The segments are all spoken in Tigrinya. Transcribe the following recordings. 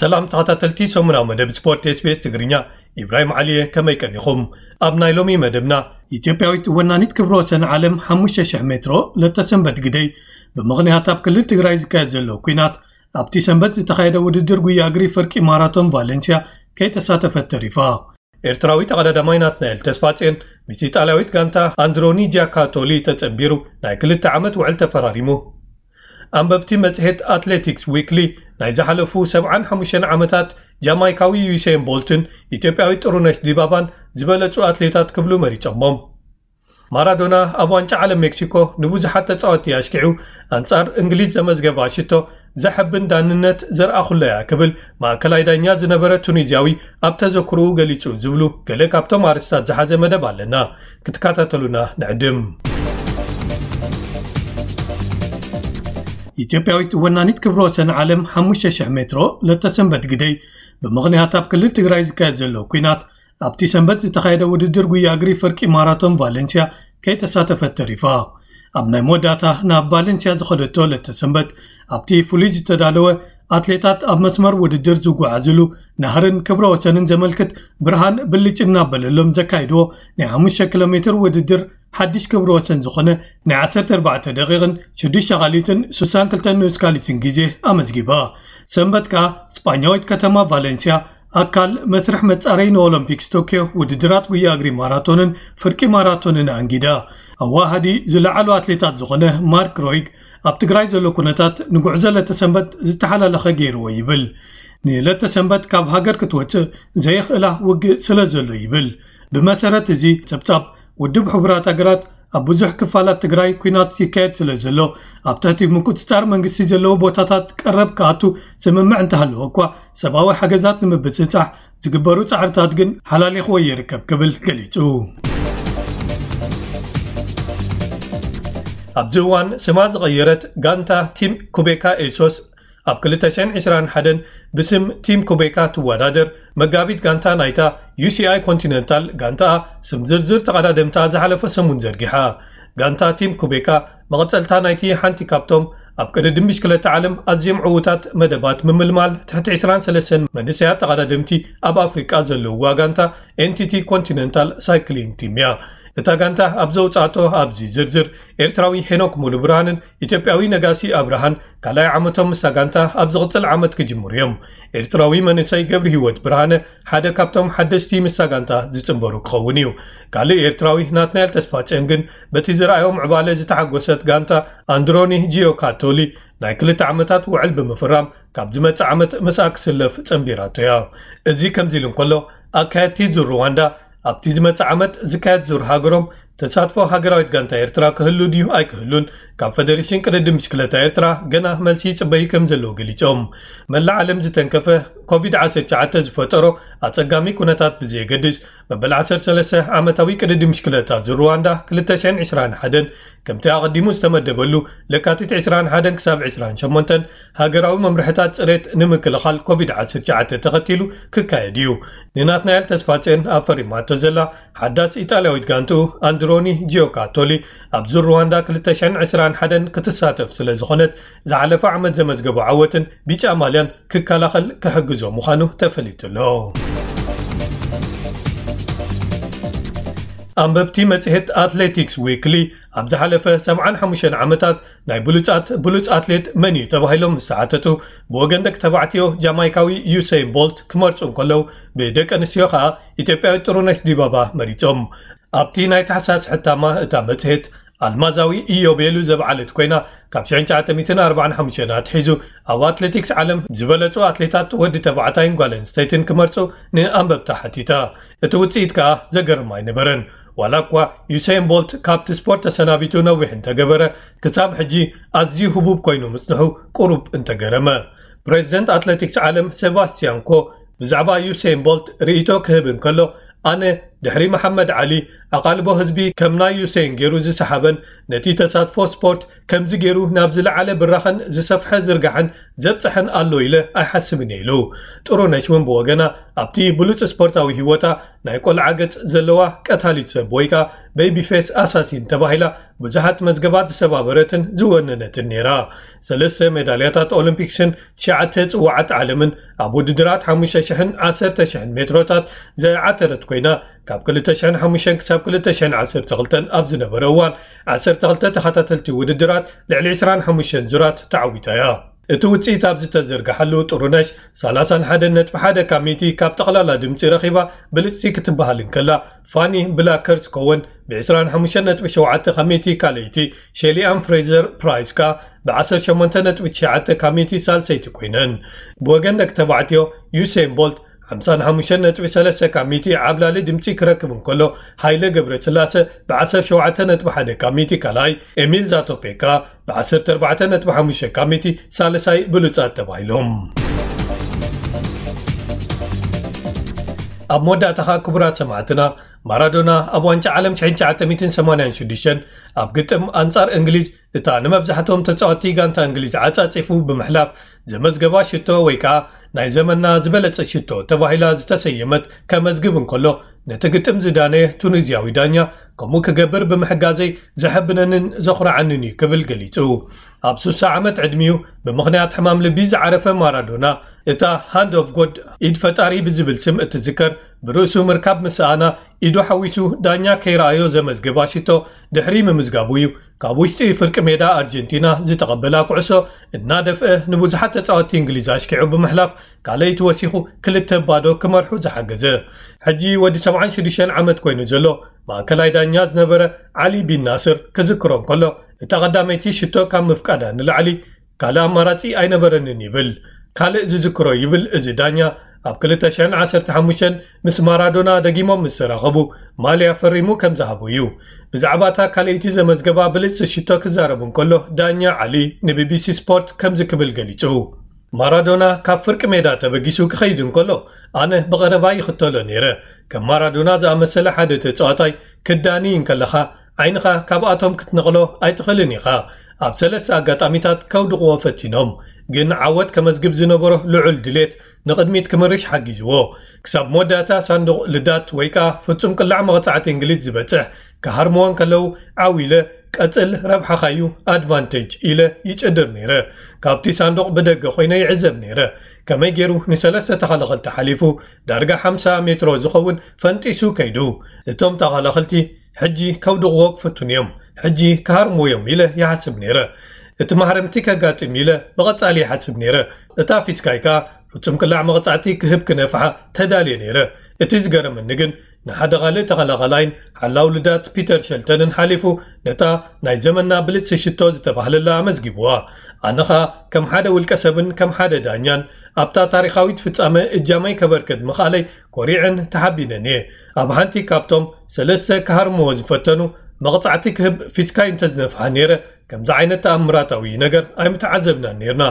ሰላም ተኸታተልቲ ሰሙናዊ መደብ ስፖርት SBS ትግርኛ፣ ኢብራሂም ዓሊየ፣ ከመይ ቀኒኹም? ኣብ ናይ ሎሚ መደብና፣ ኢትዮጵያዊት ወናኒት ክብረ ወሰን ዓለም ሓሙሽተ ሽሕ ሜትሮ ለተሰንበት ግደይ፣ ብምኽንያት ኣብ ክልል ትግራይ ዝካየድ ዘሎ ኲናት፣ ኣብቲ ሰንበት ዝተኻየደ ውድድር ጉያ እግሪ ፍርቂ ማራቶን ቫለንሲያ ከይተሳተፈት ተሪፋ። ኤርትራዊ ተቐዳዳማይ ናትናኤል ተስፋጽዮን ምስ ኢጣልያዊት ጋንታ ኣንድሮኒ ጂያካቶሊ ተጸንቢሩ ናይ ክልተ ዓመት ውዕል ተፈራሪሙ። ኣንበብቲ መጽሔት ኣትሌቲክስ ዊክሊ ናይ ዝሓለፉ ሰብዓን ሓሙሽተን ዓመታት ጃማይካዊ ዩሴን ቦልትን ኢትዮጵያዊት ጥሩነሽ ዲባባን ዝበለጹ ኣትሌታት ክብሉ መሪጾሞም። ማራዶና ኣብ ዋንጫ ዓለም ሜክሲኮ ንብዙሓት ተጻወትቲ ኣሽኪዑ ኣንጻር እንግሊዝ ዘመዝገባ ሽቶ ዘሐብን ዳንነት ዘርኣኹለያ ክብል ማእከላይ ዳኛ ዝነበረ ቱኒዝያዊ ኣብ ተዘክርኡ ገሊጹ ዝብሉ ገለ ካብቶም ኣርስታት ዝሓዘ መደብ ኣለና። ክትከታተሉና ንዕድም። ኢትዮጵያዊት ወናኒት ክብረ ወሰን ዓለም ሓሙሽተ ሽሕ ሜትሮ ለተሰንበት ግደይ፣ ብምኽንያት ኣብ ክልል ትግራይ ዝካየድ ዘሎ ኲናት፣ ኣብቲ ሰንበት ዝተኻየደ ውድድር ጉያ እግሪ ፍርቂ ማራቶን ቫለንሲያ ከይተሳተፈት ተሪፋ። ኣብ ናይ መወዳእታ ናብ ቫለንሲያ ዝኸደቶ ለተሰንበት፣ ኣብቲ ፍሉይ ዝተዳለወ ኣትሌታት ኣብ መስመር ውድድር ዝጓዓዝሉ ናህርን ክብረ ወሰንን ዘመልክት ብርሃን ብልጭ እናበለሎም ዘካይድዎ ናይ ሓሙሽተ ኪሎ ሜትር ውድድር ሓድሽ ክብረ ወሰን ዝኾነ ናይ ዓሰርተ ኣርባዕተ ደቂቕን ሽዱሽተ ካሊትን ስሳን ክልተ ንኡስ ካሊትን ግዜ ኣመዝጊባ። ሰንበት ከኣ ስጳኛዊት ከተማ ቫለንሲያ ኣካል መስርሕ መጻረይ ንኦሎምፒክስ ቶክዮ ውድድራት ጉያ እግሪ ማራቶንን ፍርቂ ማራቶንን ኣንጊዳ። ኣዋሃዲ ዝለዓሉ ኣትሌታት ዝኾነ ማርክ ሮይግ ኣብ ትግራይ ዘሎ ኩነታት ንጉዕዞ ለተሰንበት ዝተሓላለኸ ገይርዎ ይብል። ንለተሰንበት ካብ ሃገር ክትወጽእ ዘየኽእላ ውግእ ስለ ዘሎ ይብል። ብመሰረት እዚ ጸብጻብ ውድብ ሕቡራት ሃገራት ኣብ ብዙሕ ክፋላት ትግራይ ኲናት ይካየድ ስለ ዘሎ ኣብ ትሕቲ ምቁጽጻር መንግስቲ ዘለዎ ቦታታት ቀረብ ክኣቱ ስምምዕ እንተሃለወ እኳ ሰብኣዊ ሓገዛት ንምብጽጻሕ ዝግበሩ ጻዕርታት ግን ሓላሊኽዎ ይርከብ ክብል ገሊጹ። ኣብዚ እዋን ስማ ዝቐየረት ጋንታ ቲም ኩቤካ ኤሶስ ኣብ ክልተ ሽሕን ዕስራን ሓደን ብስም ቲም ኩቤካ ትወዳደር መጋቢት ጋንታ ናይታ ዩ ሲ ኣይ ኮንቲነንታል ጋንታኣ ስም ዝርዝር ተቐዳደምታ ዝሓለፈ ሰሙን ዘርጊሓ። ጋንታ ቲም ኩቤካ መቐጸልታ ናይቲ ሓንቲ ካብቶም ኣብ ቅድድም ብሽክለታ ዓለም ኣዝዮም ዕዉታት መደባት ምምልማል ትሕቲ ዕስራን ሰለስተን መንእሰያት ተቐዳደምቲ ኣብ ኣፍሪቃ ዘለውዋ ጋንታ ኤን ቲ ቲ ኮንቲነንታል ሳይክሊንግ ቲም እያ። እታ ጋንታ ኣብ ዘውጻእቶ ኣብዚ ዝርዝር ኤርትራዊ ሄኖክ ሙሉ ብርሃንን ኢትዮጵያዊ ነጋሲ ኣብርሃን ካልኣይ ዓመቶም ምስታ ጋንታ ኣብ ዝቕጽል ዓመት ክጅምሩ እዮም። ኤርትራዊ መንእሰይ ገብሪ ህይወት ብርሃነ ሓደ ካብቶም ሓደስቲ ምስታ ጋንታ ዝጽንበሩ ክኸውን እዩ። ካልእ ኤርትራዊ ናትናኤል ተስፋጽዮን ግን በቲ ዝረኣዮም ዕባለ ዝተሓጎሰት ጋንታ ኣንድሮኒ ጂዮ ካቶሊ ናይ ክልተ ዓመታት ውዕል ብምፍራም ካብ ዝመጽእ ዓመት ምስኣ ክስለፍ ጸንቢራቶ እያ። እዚ ከምዚ ኢሉ እንከሎ ኣካየድቲ ዙር ሩዋንዳ ኣብቲ ዝመጽእ ዓመት ዝካየድ ዙር ሃገሮም ተሳትፎ ሃገራዊት ጋንታ ኤርትራ ክህሉ ድዩ ኣይክህሉን ካብ ፈደሬሽን ቅድድም ብሽክለታ ኤርትራ ገና መልሲ ይጽበዩ ከም ዘለዉ ገሊጾም። መላእ ዓለም ዝተንከፈ ኮቪድ ዓሰርተ ትሽዓተ ዝፈጠሮ ኣጸጋሚ ኩነታት ብዘየገድስ መበል ዓሰርተ ሰለስተ ዓመታዊ ቅድድም ብሽክለታ ዙር ሩዋንዳ ክልተ ሽሕን ዕስራን ሓደን ከምቲ ኣቐዲሙ ዝተመደበሉ ለካቲት ዕስራን ሓደን ክሳብ ዕስራን ሸሞንተን ሃገራዊ መምርሕታት ጽሬት ንምክልኻል ኮቪድ ዓሰርተ ትሽዓተ ተኸቲሉ ክካየድ እዩ። ንናትናኤል ተስፋጽዮን ኣፈሪማቶ ዘላ ሓዳስ ኢጣልያዊት ጋንትኡ ኣንድሮኒ ጂዮካቶሊ ኣብ ዙር ሩዋንዳ ክልተ ሽሕን ዕስራን ሓደን ክትሳተፍ ስለ ዝኾነት ዝሓለፈ ዓመት ዘመዝገቦ ዓወትን ቢጫ ማልያን ክከላኸል ክሕግዞ ምዃኑ ተፈሊጡ ኣሎ። ኣንበብቲ መጽሔት ኣትሌቲክስ ዊክሊ ኣብ ዝሓለፈ ሰብዓን ሓሙሽተን ዓመታት ናይ ብሉጻት ብሉጽ ኣትሌት መን እዩ ተባሂሎም ምስ ተሓተቱ፣ ብወገን ደቂ ተባዕትዮ ጃማይካዊ ዩሰይን ቦልት ክመርጹ እንከለዉ፣ ብደቂ ኣንስትዮ ከኣ ኢትዮጵያዊት ጥሩነሽ ዲባባ መሪጾም። ኣብቲ ናይ ታሕሳስ ሕታማ እታ መጽሔት ኣልማዛዊ ኢዮቤሉ ዘብዓለት ኮይና፣ ካብ ሽሕን ትሽዓተ ሚእትን ኣርባዓን ሓሙሽተን ኣትሒዙ ኣብ ኣትሌቲክስ ዓለም ዝበለጹ ኣትሌታት ወዲ ተባዕታይን ጓል ኣንስተይትን ክመርጹ ንኣንበብታ ሓቲታ። እቲ ውጽኢት ከኣ ዘገርም ኣይነበረን። ዋላ እኳ ዩሴን ቦልት ካብቲ ስፖርት ተሰናቢቱ ነዊሕ እንተገበረ፣ ክሳብ ሕጂ ኣዝዩ ህቡብ ኮይኑ ምጽንሑ ቁሩብ እንተገረመ። ፕሬዚደንት ኣትሌቲክስ ዓለም ሴባስቲያን ኮ ብዛዕባ ዩሴን ቦልት ርእይቶ ክህብ እንከሎ፣ ኣነ ድሕሪ መሓመድ ዓሊ ኣቓልቦ ህዝቢ ከም ናይ ዩሴን ገይሩ ዝሰሓበን ነቲ ተሳትፎ ስፖርት ከምዚ ገይሩ ናብ ዝለዓለ ብራኸን ዝሰፍሐ ዝርጋሐን ዘብጽሐን ኣሎ ኢለ ኣይሓስብን እየ ኢሉ። ጥሩነሽ እውን ብወገና ኣብቲ ብሉጽ ስፖርታዊ ህይወታ ናይ ቆልዓ ገጽ ዘለዋ ቀታሊት ሰብ ወይ ከዓ ቤቢ ፌስ ኣሳሲን ተባሂላ ብዙሓት መዝገባት ዝሰባበረትን ዝወነነትን ነይራ። ሰለስተ ሜዳልያታት ኦሎምፒክስን ትሽዓተ ጽዋዓት ዓለምን ኣብ ውድድራት ሓሙሽተ ሽሕን ዓሰርተ ሽሕን ሜትሮታት ዘዓተረት ኮይና፣ ካብ ክልተ ሽሕን ሓሙሽተን ክሳብ ክልተ ሽሕን ዓሰርተ ክልተን ኣብ ዝነበረ እዋን ዓሰርተ ክልተ ተኸታተልቲ ውድድራት ልዕሊ ዕስራን ሓሙሽተን ዙራት ተዓዊታ እያ። እቲ ውጽኢት ኣብ ዝተዘርግሓሉ ጥሩነሽ ሰላሳን ሓደን ነጥቢ ሓደ ካብ ሚእቲ ካብ ጠቕላላ ድምጺ ረኺባ ብልጽቲ ክትበሃል እንከላ፣ ፋኒ ብላከርስ ኮወን ብ ዕስራን ሓሙሽተን ነጥቢ ሸውዓተ ካብ ሚእቲ ካልኣይቲ፣ ሼሊ ኣን ፍሬዘር ፕራይስ ከኣ ብ ዓሰርተ ሸሞንተ ነጥቢ ትሽዓተ ካብ ሚእቲ ሳልሰይቲ ኮይነን። ብወገን ደቂ ተባዕትዮ ዩሴን ቦልት ሓምሳን ሓሙሽተን ነጥቢ ሰለስተ ካብ ሚእቲ ዓብላሊ ድምጺ ክረክብ እንከሎ፣ ሃይለ ገብረስላሰ ብ ዓሰርተ ሸውዓተ ነጥቢ ሓደ ካብ ሚእቲ ካልኣይ፣ ኤሚል ዛቶፔካ ብ ዓሰርተ ኣርባዕተ ነጥቢ ሓሙሽተ ካብ ሚእቲ ሳልሳይ ብሉጻት ተባሂሎም። ኣብ መወዳእታ ኸኣ ክቡራት ሰማዕትና፣ ማራዶና ኣብ ዋንጫ ዓለም ሽሕን ትሽዓተ ሚእትን ሰማንያን ሽዱሽተን ኣብ ግጥም ኣንጻር እንግሊዝ፣ እታ ንመብዛሕትኦም ተጻወትቲ ጋንታ እንግሊዝ ዓጻጺፉ ብምሕላፍ ዘመዝገባ ሽቶ ወይ ከኣ ናይ ዘመንና ዝበለጸ ሽቶ ተባሂላ ዝተሰየመት ከመዝግብ እንከሎ፣ ነቲ ግጥም ዝዳነየ ቱኒዝያዊ ዳኛ ከምኡ ክገብር ብምሕጋዘይ ዘሐብነንን ዘኹርዓንን እዩ ክብል ገሊጹ። ኣብ ሱሳ ዓመት ዕድሚኡ ብምኽንያት ሕማም ልቢ ዝዓረፈ ማራዶና፣ እታ ሃንድ ኦፍ ጎድ፣ ኢድ ፈጣሪ ብዝብል ስም እትዝከር፣ ብርእሱ ምርካብ ምስ ሰኣና፣ ኢዱ ሓዊሱ ዳኛ ከይረኣዮ ዘመዝገባ ሽቶ ድሕሪ ምምዝጋቡ እዩ ካብ ውሽጢ ፍርቂ ሜዳ ኣርጀንቲና ዝተቐበላ ኩዕሶ እናደፍአ ንብዙሓት ተጻወትቲ እንግሊዝ ኣሽኪዑ ብምሕላፍ ካልኣይቲ ወሲኹ ክልተ ባዶ ክመርሑ ዝሓገዘ። ሕጂ ወዲ ሰብዓን ሽዱሽተን ዓመት ኮይኑ ዘሎ ማእከላይ ዳኛ ዝነበረ ዓሊ ቢን ናስር ክዝክሮ እንከሎ፣ እታ ቀዳመይቲ ሽቶ ካብ ምፍቃዳ ንላዕሊ ካልእ ኣማራጺ ኣይነበረንን ይብል። ካልእ ዝዝክሮ ይብል እዚ ዳኛ፣ ኣብ ክልተ ሽሕን ዓሰርተ ሓሙሽተን ምስ ማራዶና ደጊሞም ምስ ተራኸቡ ማልያ ፈሪሙ ከም ዝሃቦ እዩ። ብዛዕባ እታ ካልኣይቲ ዘመዝገባ ብልጽቲ ሽቶ ክዛረብ እንከሎ ዳኛ ዓሊ ንቢቢሲ ስፖርት ከምዚ ክብል ገሊጹ። ማራዶና ካብ ፍርቂ ሜዳ ተበጊሱ ክኸይድ እንከሎ ኣነ ብቐረባ ይኽተሎ ነይረ። ከም ማራዶና ዝኣመሰለ ሓደ ተጻዋታይ ክዳኒ እንከለኻ ዓይንኻ ካብኣቶም ክትነቕሎ ኣይትኽእልን ኢኻ። ኣብ ሰለስተ ኣጋጣሚታት ከውድቕዎ ፈቲኖም፣ ግን ዓወት ከመዝግብ ዝነበሮ ልዑል ድሌት ንቕድሚት ክምርሽ ሓጊዝዎ። ክሳብ መወዳእታ ሳንዱቕ ልዳት ወይ ከኣ ፍጹም ቅላዕ መቕጻዕቲ እንግሊዝ ዝበጽሕ ክሃርምዎ እንከለዉ ዓው ኢለ ቀጽል ረብሓኻዩ ኣድቫንቴጅ ኢለ ይጭድር ነይረ። ካብቲ ሳንዱቕ ብደገ ኮይነ ይዕዘብ ነይረ። ከመይ ገይሩ ንሰለስተ ተኸላኸልቲ ሓሊፉ ዳርጋ ሓምሳ ሜትሮ ዝኸውን ፈንጢሱ ከይዱ። እቶም ተኸላኸልቲ ሕጂ ከውድቕዎ ክፍትኑ እዮም፣ ሕጂ ክሃርምዎ እዮም ኢለ ይሓስብ ነይረ። እቲ ማህረምቲ ከጋጥም ኢለ ብቐጻሊ ይሓስብ ነይረ። እታ ፊስካይ ከኣ ፍጹም ቅላዕ መቕጻዕቲ ክህብ ክነፍሓ ተዳልየ ነይረ። እቲ ዝገረመኒ ግን ንሓደ ካልእ ተኸላኸላይን ሓላው ልዳት ፒተር ሸልተንን ሓሊፉ ነታ ናይ ዘመንና ብልጽቲ ሽቶ ዝተባህለላ ኣመዝጊብዋ። ኣነ ኸኣ ከም ሓደ ውልቀ ሰብን ከም ሓደ ዳኛን ኣብታ ታሪኻዊት ፍጻመ እጃመይ ከበርክት ምኽኣለይ ኮሪዕን ተሓቢነን እየ። ኣብ ሓንቲ ካብቶም ሰለስተ ክሃርምዎ ዝፈተኑ መቕጻዕቲ ክህብ ፊስካይ እንተዝነፍሓ ነይረ፣ ከምዚ ዓይነት ተኣምራታዊ ነገር ኣይምተዓዘብናን ነይርና።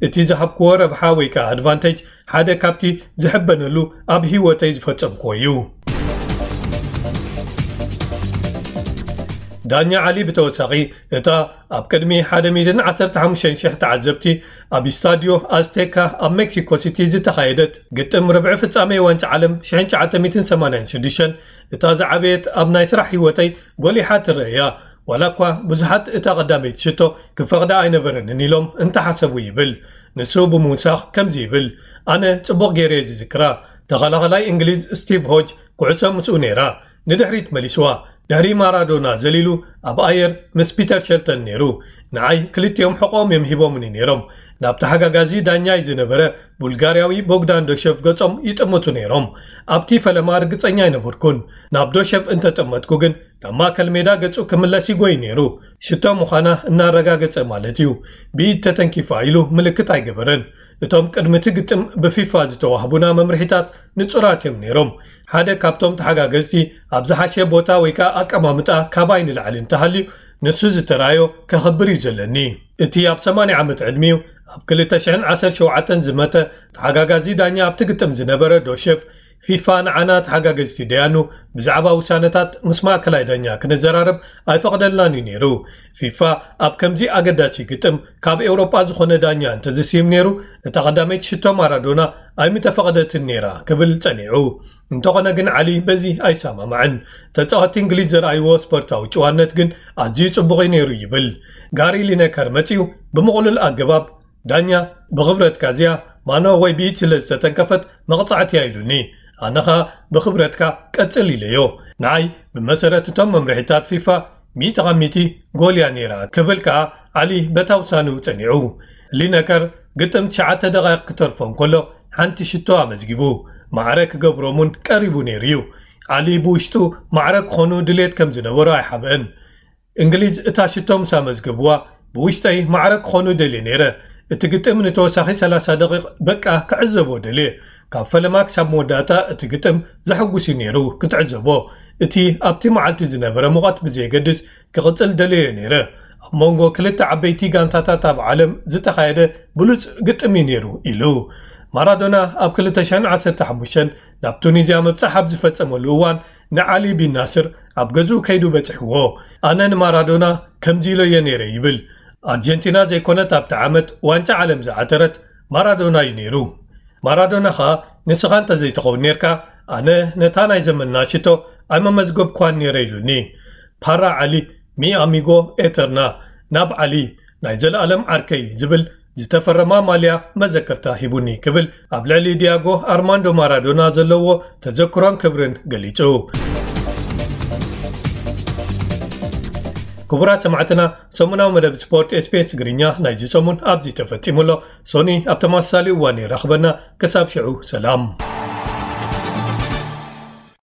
እቲ ዝሃብክዎ ረብሓ ወይ ከኣ ኣድቫንቴጅ ሓደ ካብቲ ዝሕበነሉ ኣብ ህይወተይ ዝፈጸምክዎ እዩ። ዳኛ ዓሊ ብተወሳኺ፣ እታ ኣብ ቅድሚ ሓደ ሚእትን ዓሰርተ ሓሙሽተን ሽሕ ተዓዘብቲ ኣብ ስታድዮ ኣዝቴካ ኣብ ሜክሲኮ ሲቲ ዝተኻየደት ግጥም ርብዒ ፍጻሜ ዋንጫ ዓለም ሽሕን ትሽዓተ ሚእትን ሰማንያን ሽዱሽተን እታ ዝዓበየት ኣብ ናይ ስራሕ ህይወተይ ጎሊሓ ትረአ እያ። ዋላ እኳ ብዙሓት እታ ቀዳመይቲ ሽቶ ክፈቕዳ ኣይነበረንን ኢሎም እንተሓሰቡ ይብል። ንሱ ብምውሳኽ ከምዚ ይብል፣ ኣነ ጽቡቕ ገይረ እየ ዝዝክራ። ተኸላኸላይ እንግሊዝ ስቲቭ ሆጅ ኩዕሶ ምስኡ ነይራ። ንድሕሪት መሊስዋ። ድሕሪ ማራዶና ዘሊሉ ኣብ ኣየር ምስ ፒተር ሸልተን ነይሩ። ንዓይ ክልቲኦም ሕቖኦም እዮም ሂቦምኒ ነይሮም። ናብ ተሓጋጋዚ ዳኛይ ዝነበረ ቡልጋርያዊ ቦግዳን ዶሸፍ ገጾም ይጥምቱ ነይሮም። ኣብቲ ፈለማ ርግጸኛ ኣይነበርኩን። ናብ ዶሸፍ እንተጠመትኩ ግን ናብ ማእከል ሜዳ ገጹ ክምለስ ይጎይ ነይሩ። ሽቶ ምዃና እናረጋገጸ ማለት እዩ። ብኢድ ተተንኪፋ ኢሉ ምልክት ኣይገበረን። እቶም ቅድሚ እቲ ግጥም ብፊፋ ዝተዋህቡና መምርሒታት ንጹራት እዮም ነይሮም። ሓደ ካብቶም ተሓጋገዝቲ ኣብ ዝሓሸ ቦታ ወይ ከኣ ኣቀማምጣ ካባይ ንላዕሊ እንተሃልዩ፣ ንሱ ዝተራዮ ከኽብር እዩ ዘለኒ። እቲ ኣብ ሰማንያ ዓመት ዕድሚኡ ኣብ ክልተ ሽሕን ዓሰርተ ሸውዓተን ዝመተ ተሓጋጋዚ ዳኛ ኣብቲ ግጥም ዝነበረ ዶሸፍ ፊፋ ንዓና ተሓጋገዝቲ ደያኑ ብዛዕባ ውሳነታት ምስ ማእከላይ ዳኛ ክንዘራረብ ኣይፈቕደልናን እዩ ነይሩ። ፊፋ ኣብ ከምዚ ኣገዳሲ ግጥም ካብ ኤውሮጳ ዝኾነ ዳኛ እንተዝስይም ነይሩ፣ እታ ቀዳመይቲ ሽቶ ማራዶና ኣይምተፈቐደትን ነይራ ክብል ጸኒዑ። እንተኾነ ግን ዓሊ በዚ ኣይሰማማዕን። ተጻወትቲ እንግሊዝ ዘርኣይዎ ስፖርታዊ ጭዋነት ግን ኣዝዩ ጽቡቕ እዩ ነይሩ ይብል። ጋሪ ሊነከር መጺኡ ብምቕሉል ኣገባብ ዳኛ ብኽብረትካ እዚኣ ማኖ ወይ ብኢድ ስለ ዝተተንከፈት መቕጻዕቲ እያ ኢሉኒ። ኣነ ኸኣ ብኽብረትካ ቀጽል ኢለዮ። ንዓይ ብመሰረት እቶም መምርሒታት ፊፋ ሚእቲ ካብ ሚእቲ ጎል እያ ነይራ ክብል ከኣ ዓሊ በታ ውሳኔኡ ጸኒዑ። ሊነከር ግጥም ትሽዓተ ደቓይቕ ክተርፎ እንከሎ ሓንቲ ሽቶ ኣመዝጊቡ። ማዕረ ክገብሮም እውን ቀሪቡ ነይሩ እዩ። ዓሊ ብውሽጡ ማዕረ ክኾኑ ድሌት ከም ዝነበሮ ኣይሓብአን። እንግሊዝ እታ ሽቶ ምስ ኣመዝገብዋ ብውሽጠይ ማዕረ ክኾኑ ደልየ ነይረ። እቲ ግጥም ንተወሳኺ ሰላሳ ደቂቕ በቃ ክዕዘቦ ደልየ። ካብ ፈለማ ክሳብ መወዳእታ እቲ ግጥም ዘሐጉስ እዩ ነይሩ ክትዕዘቦ። እቲ ኣብቲ መዓልቲ ዝነበረ ሙቐት ብዘየገድስ ክቕጽል ደልየ ነይረ። ኣብ መንጎ ክልተ ዓበይቲ ጋንታታት ኣብ ዓለም ዝተኻየደ ብሉጽ ግጥም እዩ ነይሩ ኢሉ። ማራዶና ኣብ ክልተ ሽሕን ዓሰርተ ሓሙሽተን ናብ ቱኒዝያ ምብጻሕ ኣብ ዝፈጸመሉ እዋን ንዓሊ ቢን ናስር ኣብ ገዝኡ ከይዱ በጺሕዎ። ኣነ ንማራዶና ከምዚ ኢሎዮ ነይረ ይብል። ኣርጀንቲና ዘይኮነት ኣብቲ ዓመት ዋንጫ ዓለም ዝዓተረት ማራዶና እዩ ነይሩ። ማራዶና ኸኣ ንስኻ እንተዘይትኸውን ነርካ ኣነ ነታ ናይ ዘመንና ሽቶ ኣይመመዝገብኳን ነይረ ኢሉኒ። ፓራ ዓሊ ሚ ኣሚጎ ኤተርና ናብ ዓሊ ናይ ዘለኣለም ዓርከይ ዝብል ዝተፈረማ ማልያ መዘከርታ ሂቡኒ ክብል ኣብ ልዕሊ ዲያጎ ኣርማንዶ ማራዶና ዘለዎ ተዘክሮን ክብርን ገሊጹ። ክቡራት ሰማዕትና፣ ሰሙናዊ መደብ ስፖርት ኤስቢኤስ ትግርኛ ናይዚ ሰሙን ኣብዚ ተፈጺሙ ኣሎ። ሶኒ ኣብ ተመሳሳሊ እዋን ይራኽበና። ክሳብ ሽዑ ሰላም።